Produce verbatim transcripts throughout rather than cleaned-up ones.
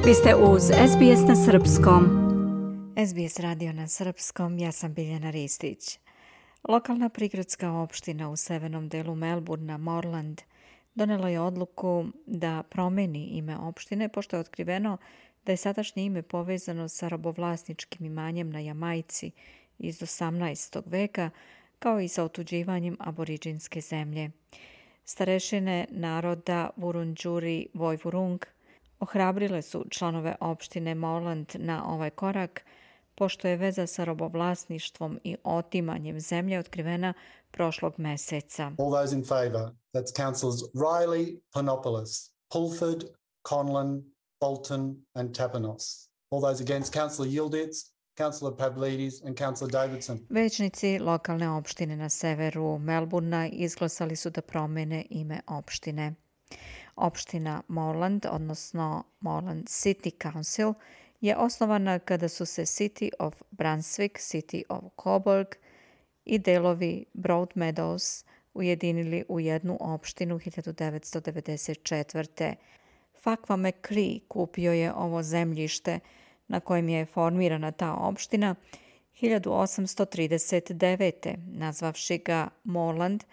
Vi ste uz S B S na srpskom. S B S radio na srpskom, ja sam Biljana Ristić. Lokalna prigradska opština u severnom delu Melbourna, Moreland, donela je odluku da promeni ime opštine, pošto je otkriveno da je sadašnje ime povezano sa robovlasničkim imanjem na Jamajci iz osamnaestog veka, kao i sa otuđivanjem aboriđinske zemlje. Starešine naroda Wurundjeri Woiwurrung ohrabrile su članove opštine Moreland na ovaj korak, pošto je veza sa robovlasništvom i otimanjem zemlje otkrivena prošlog meseca. All those in favour, that's councillors Riley, Panopoulos, Pulford, Conlon, Bolton and Tapanos. All those against, councillor Yildiz, councillor Pavlidis and councillor Davidson. Većnici lokalne opštine na severu Melbourna izglasali su da promene ime opštine. Opština Moreland, odnosno Moreland City Council, je osnovana kada su se City of Brunswick, City of Coburg i delovi Broadmeadows ujedinili u jednu opštinu hiljadu devetsto devedeset četvrte. Fakva McCree kupio je ovo zemljište na kojem je formirana ta opština hiljadu osamsto trideset devete. nazvavši ga Moreland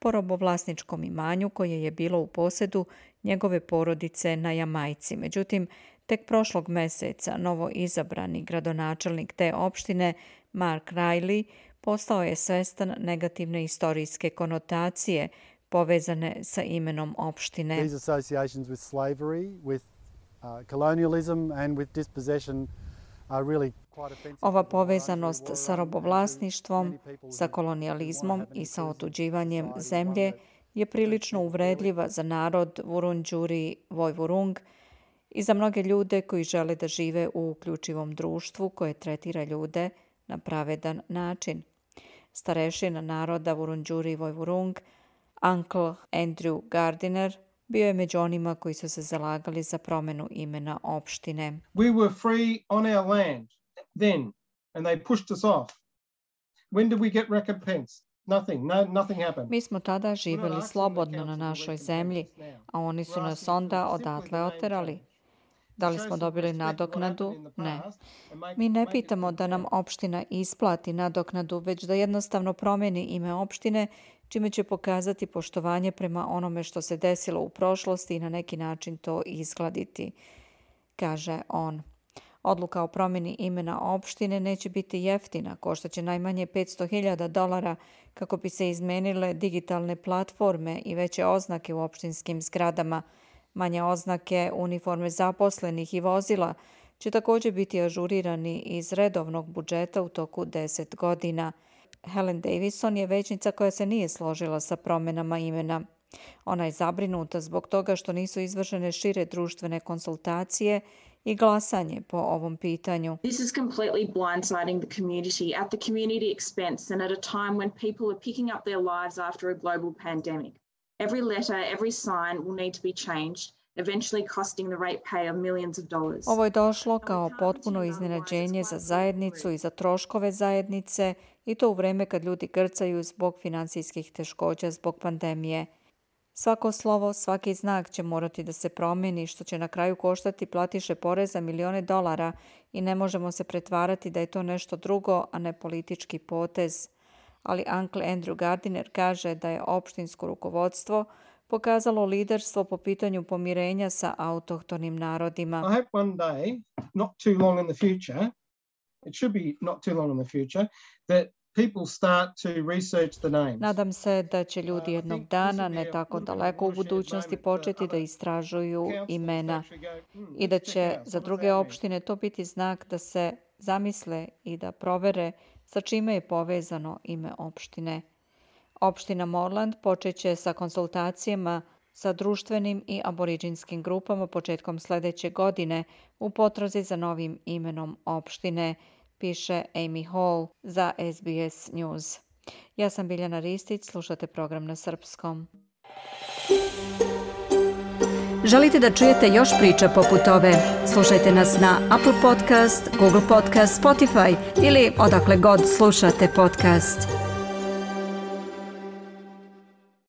po robovlasničkom imanju koje je bilo u posedu njegove porodice na Jamajci. Međutim, tek prošlog meseca novo izabrani gradonačelnik te opštine, Mark Riley, postao je svestan negativne istorijske konotacije povezane sa imenom opštine. These associations with slavery, with uh, colonialism and with dispossession are really quite offensive. Ova povezanost sa robovlasništvom, sa kolonijalizmom i sa otuđivanjem zemlje je prilično uvredljiva za narod Wurundjeri Woiwurrung i za mnoge ljude koji žele da žive u uključivom društvu koje tretira ljude na pravedan način. Starešina naroda Wurundjeri Woiwurrung, Uncle Andrew Gardiner, bio je među onima koji su se zalagali za promenu imena opštine. We were free on our land then, and they pushed us off. When did we get recompense? Nothing, no, nothing happened. Mi smo tada živjeli slobodno na našoj zemlji, a oni su nas onda odatle oterali. Da li smo dobili nadoknadu? Ne. Mi ne pitamo da nam opština isplati nadoknadu, već da jednostavno promeni ime opštine, čime će pokazati poštovanje prema onome što se desilo u prošlosti i na neki način to izgladiti, kaže on. Odluka o promjeni imena opštine neće biti jeftina, koštaće najmanje petsto hiljada dolara kako bi se izmenile digitalne platforme i veće oznake u opštinskim zgradama. Manje oznake, uniforme zaposlenih i vozila će također biti ažurirani iz redovnog budžeta u toku deset godina. Helen Davison je većnica koja se nije složila sa promjenama imena. Ona je zabrinuta zbog toga što nisu izvršene šire društvene konsultacije i glasanje po ovom pitanju. This is completely blindsiding the community at the community expense and at a time when people are picking up their lives after a global pandemic. Every letter, every sign will need to be changed, eventually costing the ratepay of millions of dollars. Ovo je došlo kao potpuno iznenađenje za zajednicu i za troškove zajednice, i to u vreme kad ljudi grcaju zbog finansijskih teškoća zbog pandemije. Svako slovo, svaki znak će morati da se promijeni, što će na kraju koštati platiše poreza milione dolara i ne možemo se pretvarati da je to nešto drugo, a ne politički potez. Ali Uncle Andrew Gardiner kaže da je opštinsko rukovodstvo pokazalo liderstvo po pitanju pomirenja sa autohtonim narodima. I hope one day, not too long in the future, it should be not too long in the future, that people start to research the names. Nadam se da će ljudi jednog dana, ne tako daleko u budućnosti, početi da istražuju imena i da će za druge opštine to biti znak da se zamisle i da provere sa čime je povezano ime opštine. Opština Moreland počeće sa konsultacijama sa društvenim i aboriđinskim grupama početkom sljedeće godine u potrazi za novim imenom opštine, piše Amy Hall za S B S News. Ja sam Biljana Ristić, slušate program na srpskom. Želite da čujete još priča poput ove? Slušajte nas na Apple Podcast, Google Podcast, Spotify ili odakle god slušate podcast.